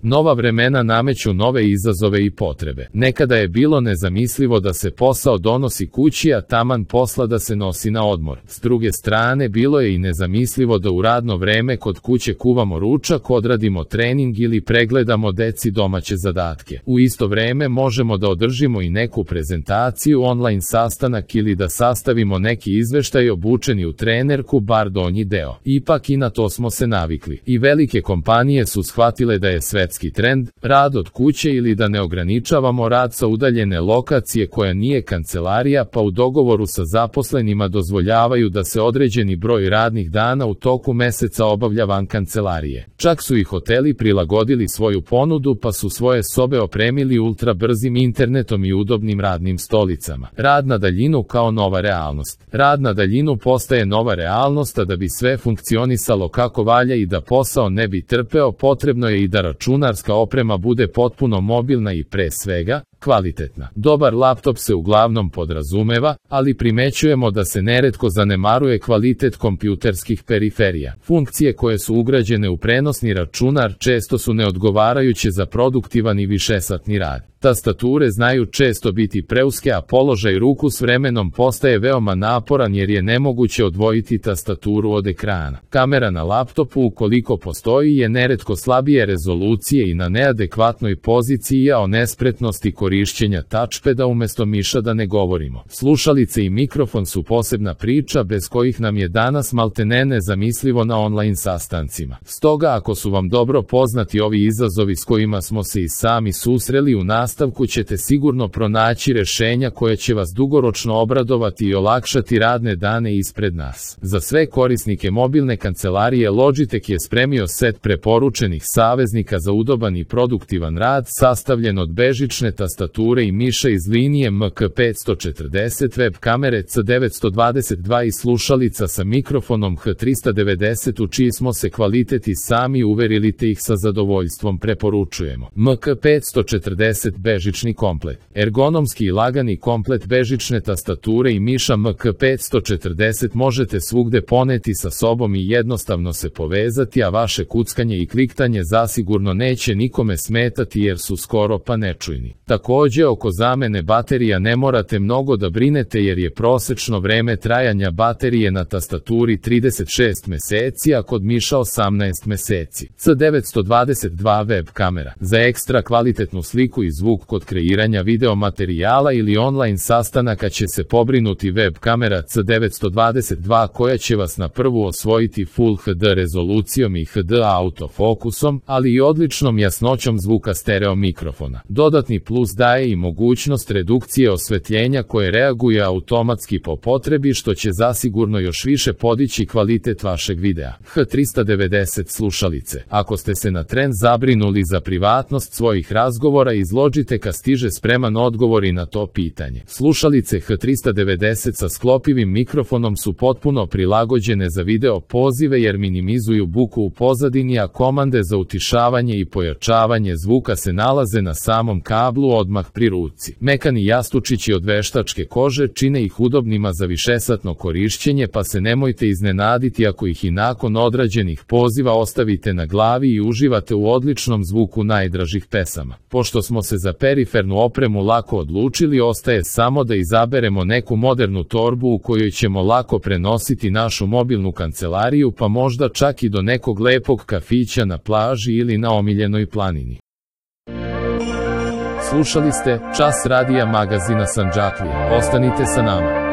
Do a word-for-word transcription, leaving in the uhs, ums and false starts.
Nova vremena nameću nove izazove i potrebe. Nekada je bilo nezamislivo da se posao donosi kući, a taman posla da se nosi na odmor. S druge strane, bilo je i nezamislivo da u radno vreme kod kuće kuvamo ručak, odradimo trening ili pregledamo deci domaće zadatke. U isto vreme možemo da održimo i neku prezentaciju, online sastanak ili da sastavimo neki izveštaj obučeni u trenerku, bar donji deo. Ipak i na to smo se navikli. I velike kompanije su shvatile da je svetski trend rad od kuće ili da ne ograničavamo rad sa udaljene lokacije koja nije kancelarija, pa u dogovoru sa zaposlenima dozvoljavaju da se određeni broj radnih dana u toku meseca obavlja van kancelarije. Čak su i hoteli prilagodili svoju ponudu, pa su svoje sobe opremili ultra brzim internetom i udobnim radnim stolicama. Rad na daljinu kao nova realnost. Rad na daljinu postaje nova realnost, a da bi sve funkcionisalo kako valja i da posao ne bi trpeo, potrebno je i da računarska oprema bude potpuno mobilna i pre svega kvalitetna. Dobar laptop se uglavnom podrazumeva, ali primećujemo da se neretko zanemaruje kvalitet kompjuterskih periferija. Funkcije koje su ugrađene u prenosni računar često su neodgovarajuće za produktivan i višesatni rad. Tastature znaju često biti preuske, a položaj ruku s vremenom postaje veoma naporan jer je nemoguće odvojiti tastaturu od ekrana. Kamera na laptopu, ukoliko postoji, je neretko slabije rezolucije i na neadekvatnoj poziciji, a o nespretnosti korišćenja touchpada umesto miša da ne govorimo. Slušalice i mikrofon su posebna priča bez kojih nam je danas maltene nezamislivo na online sastancima. Stoga, ako su vam dobro poznati ovi izazovi s kojima smo se i sami susreli, u nastavku ćete sigurno pronaći rešenja koje će vas dugoročno obradovati i olakšati radne dane ispred nas. Za sve korisnike mobilne kancelarije Logitech je spremio set preporučenih saveznika za udoban i produktivan rad, sastavljen od bežične tastature i miša iz linije M K petsto četrdeset, web kamere C devetsto dvadeset dva i slušalica sa mikrofonom H tristo devedeset, u čiji smo se kvalitet i sami uverili te ih sa zadovoljstvom preporučujemo. M K petsto četrdeset bežični komplet. Ergonomski i lagani komplet bežične tastature i miša M K petsto četrdeset možete svugde poneti sa sobom i jednostavno se povezati, a vaše kuckanje i kliktanje zasigurno neće nikome smetati jer su skoro pa nečujni. Takođe, oko zamene baterija ne morate mnogo da brinete jer je prosečno vreme trajanja baterije na tastaturi trideset šest meseci, a kod miša osamnaest meseci. C devetsto dvadeset dva web kamera. Za ekstra kvalitetnu sliku i zvuk kod kreiranja video materijala ili online sastanaka će se pobrinuti web kamera C devetsto dvadeset dva koja će vas na prvu osvojiti Full H D rezolucijom i H D autofokusom, ali i odličnom jasnoćom zvuka stereo mikrofona. Dodatni plus daje i mogućnost redukcije osvetljenja koje reaguje automatski po potrebi, što će zasigurno još više podići kvalitet vašeg videa. H tristo devedeset slušalice. Ako ste se na tren zabrinuli za privatnost svojih razgovora, iz Logitecha stiže spreman odgovor i na to pitanje. Slušalice H tristo devedeset sa sklopivim mikrofonom su potpuno prilagođene za video pozive jer minimizuju buku u pozadini, a komande za utišavanje i pojačavanje zvuka se nalaze na samom kablu odmah pri ruci. Mekani jastučići od veštačke kože čine ih udobnima za višesatno korišćenje, pa se nemojte iznenaditi ako ih i nakon odrađenih poziva ostavite na glavi i uživate u odličnom zvuku najdražih pesama. Pošto smo se za perifernu opremu lako odlučili, ostaje samo da izaberemo neku modernu torbu u kojoj ćemo lako prenositi našu mobilnu kancelariju, pa možda čak i do nekog lepog kafića na plaži ili na omiljenoj planini. Slušali ste Čas radija magazina Sandžaklija. Ostanite sa nama.